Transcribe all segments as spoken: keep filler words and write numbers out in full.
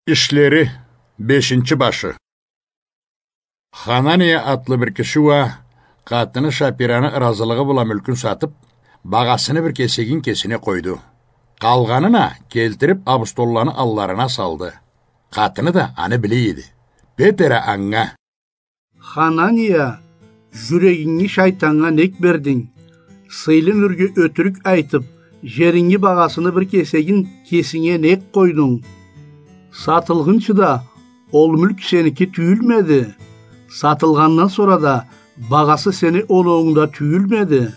Ишлери, бешинчи башы. Ханания атлы бир киши уа къатыны Шапираны ыразылыгъы бла мюлкюн сатып, багъасыны бир кесегин кесине къойду. Къалгъанын а келтирип абустолланы алларына салды. Къатыны да аны биле эди. Петер а анга: Ханания, жюрегинги шайтаннга нек бердинг? Сыйлы нюрге ётюрюк айтып, жеринги багъасыны бир кесегин кесинге нек къойдунг? Сатылгъынчы да ол мюлк сеники тюйюлмеди. Сатылгъандан сора да багъасы сени олоунгда тюйюлмеди.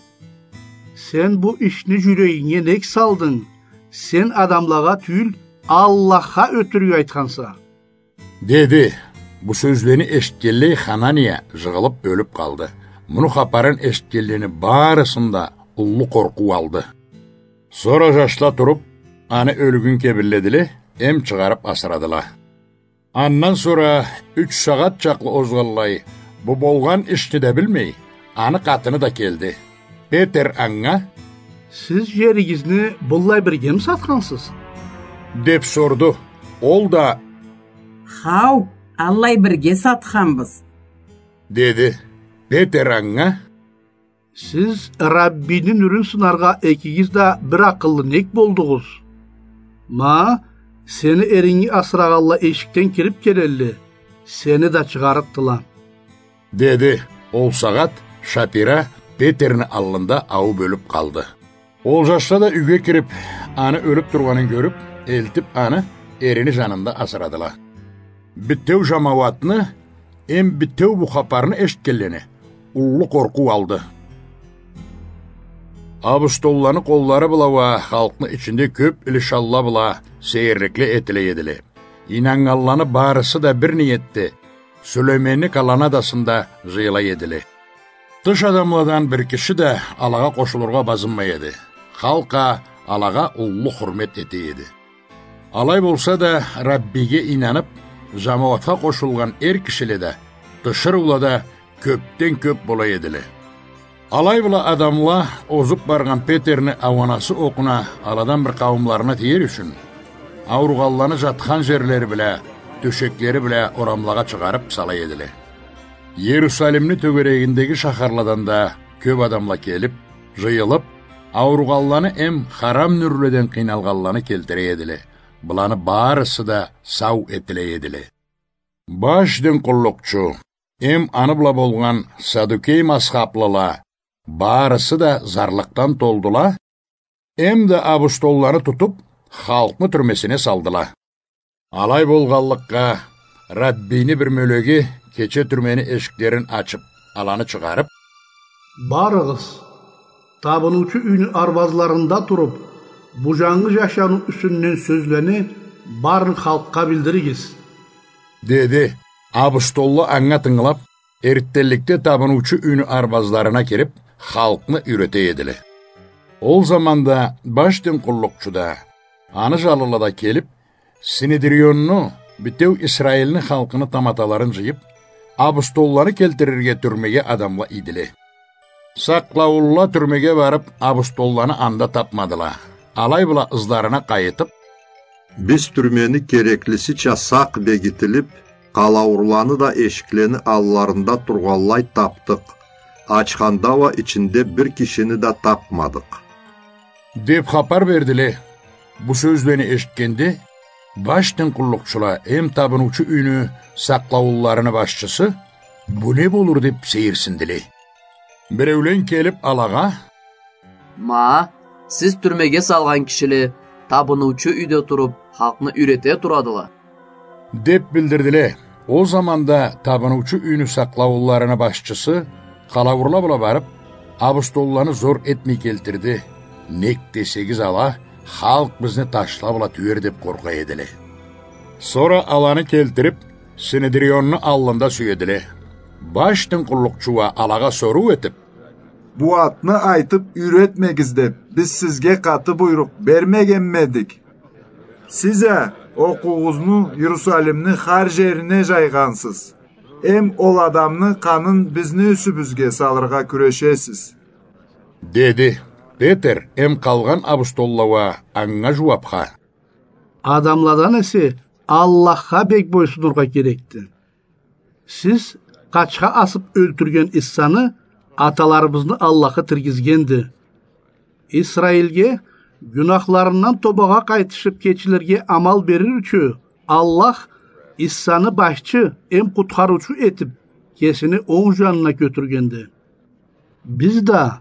Сен бу ишни жюрегинге нек салдынг? Сен адамлагъа тюйюл, Аллахха ётюрюк айтханса. Деди. Бу сёзлени эшитгенлей Ханания жыгъылып ёлюп къалды. Муну хапарын эшитгенлени барысын да уллу къоркъуу алды. Сора жашла туруп, аны ёлюгюн кебинледиле, эм чыгъарып асырадыла. Андан сора юч сагъат чакълы озгъанлай, бу болгъан ишни да билмей, аны къатыны да келди. Петер анга: Сиз жеригизни быллай биргеми сатхансыз? — деп сорду. Ол да: Хау, аллай бирге сатханбыз, — деди. Петер анга: Сиз Раббини нюрюн сынаргъа экигиз да бир акъыллы нек болдугъуз? Ма, сени эринги асырагъанла эшикден кирип келелле, сени да чыгъарыкъдыла, — деди. Ол сагъат Шапира Петерни аллында аууб ёлюп къалды. Ол жашла да юйге кирип, аны ёлюп тургъанын кёрюп, элтип аны эрини жанында асырадыла. Битеу жамауатны эм битеу бу хапарны эшитгенлени уллу къоркъуу алды. Абустолланы къоллары бла уа халкъны ичинде кёп илишанла бла сейирликле этиле эдиле. Ийнаннганланы барысы да бир ниетде Сюлейменни колоннадасында жыйыла эдиле. Тыш адамладан бир киши да алагъа къошулургъа базынмай эди. Халкъ а алагъа уллу хурмет эте эди. Алай болса да, Раббиге ийнанып, жамауатха къошулгъан эр кишиле да, тиширыула да кёпден кёп бола эдиле. Алай бла адамла озуп баргъан Петерни ауанасы окъуна аладан бир къауумларына тиер ючюн, ауругъанланы жатхан жерлери бла, тёшеклери бла орамлагъа чыгъарып сала эдиле. Иерусалимни тёгерегиндеги шахарладан да кёп адамла келип, жыйылып, ауругъанланы эм харам нюрледен къыйналгъанланы келтире эдиле. Буланы барысы да сау этиле эдиле. Баш дин къуллукъчу эм аны бла болгъан садукей мазхаблыла барысы да зарлыкъдан толдула, эм да абустолланы тутуп, халкъны тюрмесине салдыла. Алай болгъанлыкъгъа, Раббини бир мёлеги кече тюрмени эшиклерин ачып, аланы чыгъарып: Барыгъыз, табыныучу юйню арбазларында туруп, бу жангы жашаныу юсюнден сёзлени барын халкъгъа билдиригиз, — деди. Абустолла анга тынгылап, эртденликде табыныучу юйню арбазларына кирип, халкъны юйрете эдиле. Ол заманда баш дин къуллукъчу да, аны жанлыла да келип, Синедрионну, битеу Исраилни халкъыны таматаларын жыйып, абустолланы келтирирге тюрмеге адамла ийдиле. Сакълауунла тюрмеге барып, абустолланы анда тапмадыла. Алай бла ызларына къайытып: Биз тюрмени кереклисича сакъ бегитилип, къалауурланы да эшиклени алларында тургъанлай тапдыкъ. Ачханда уа ичинде бир кишини да тапмадыкъ, — деп хапар бердиле. Бу сёзлени эшитгенде, баш дин къуллукъчула эм табыныучу юйню сакълауунларыны башчысы бу не болур деп сейирсиндиле. Биреулен келип алагъа: Ма, сиз тюрмеге салгъан кишиле табыныучу юйде туруп, халкъны юйрете турадыла, — деп билдирдиле. Ол заманда табыныучу юйню сакълауунларыны башчысы къалауурла бла барып, абустолланы зор этмей келтирди. Нек десегиз, ала халкъ бизни ташла бла тюер деп къоркъа эдиле. Сора аланы келтирип, Синедрионну аллында сюедиле. Баш дин къуллукъчу уа алагъа соруу этип: Бу атны айтып юйретмегиз деп, биз сизге къаты буйрукъ бермегенмедик? Сиз а окъуугъузну Иерусалимни хар жерине жайгъансыз. Эм ол адамны къанын бизни юсюбюзге салыргъа кюрешесиз, — деди. Петер эм къалгъан абустолла уа анга жууапха: Адамладан эсе, Аллахха бек бойсунургъа керекди. Сиз къачха асып ёлтюрген Иссаны аталарыбызны Аллахы тиргизгенди. Исраилге гюнахларындан тобагъа къайтышып кечилирге амал берир ючюн Аллах Иссаны башчы эм къутхарыучу этип кесини онг жанына кётюргенди. Биз да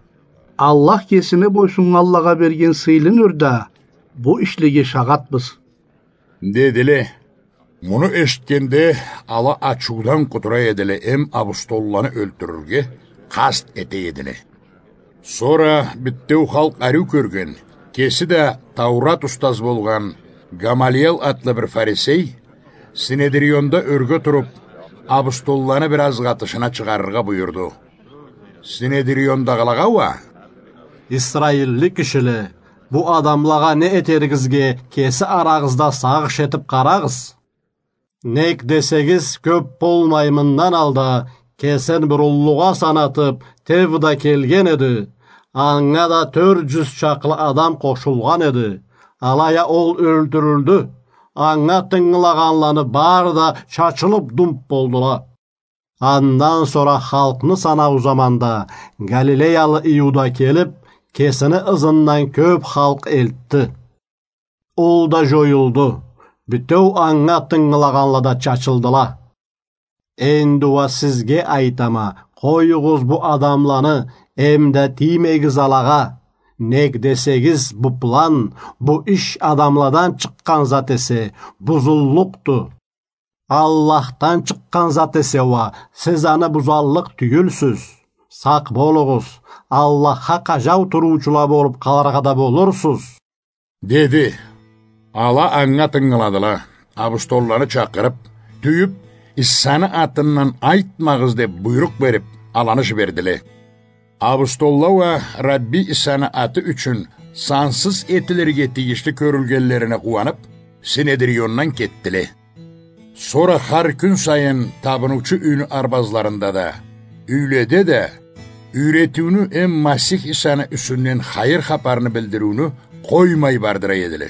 Аллах кесине бойсуннганлагъа берген сыйлы нёрда бу ишлеге шагъатбыз. Дедиле. Муну эшитгенде, ала ачыудан къудура эдиле эм абустолланы ёлтюрюрге къаст эте эдиле. Сора битеу халкъ ариу кёрген, кеси да Таурат устаз болгъан Гамалиел атлы бир фарисей, Синедрионда ёрге туруп, абустолланы бир азгъа тышына чыгъарыргъа буюрду. Синедриондагъылагъа уа: «Исраилли кишиле, бу адамлагъа не этеригизге кеси арагъызда сагъыш этип къарагъыз. Нек десегиз, кёп болмай мындан алда кесин бир уллугъа санатып, Тевда келген эди. Анга да тёрт жюз чакълы адам къошулгъан эди. Алай а ол ёлтюрюлдю. Анга тынгылагъанланы бары да чачылып думп болдула». Андан сора халкъны санау заманда Галилеялы Иуда келип, кесини ызындан кёп халкъ элтди. Ол да жоюлду. Битеу анга тынгылагъанла да чачылдыла. Энди уа сизге айтама, къоюгъуз бу адамланы, эмда тиймегиз алагъа. Нек десегиз, бу план, бу иш адамладан чыкъгъан зат эсе, бузуллукъду. Аллахдан чыкъгъан зат эсе уа, сиз аны бузаллыкъ тюйюлсюз. Сакъ болугъуз, Аллахха къажау туруучула болуп къалыргъа да болурсуз, — деди. Ала анга тынгыладыла. Абустолланы чакъырып, тюйюп, Исаны атындан айтмагъыз деп буйрукъ берип, аланы жибердиле. Абустолла уа Рабби Исаны аты ючюн сансыз этилирге тийишли кёрюлгенлерине къууанып, Синедриондан кетдиле. Сора хар кюн сайын табыныучу юйню арбазларында да, юйледе да юйретиуню эм Масих Исаны юсюнден хайыр хапарны билдириуню къоймай бардыра эдиле.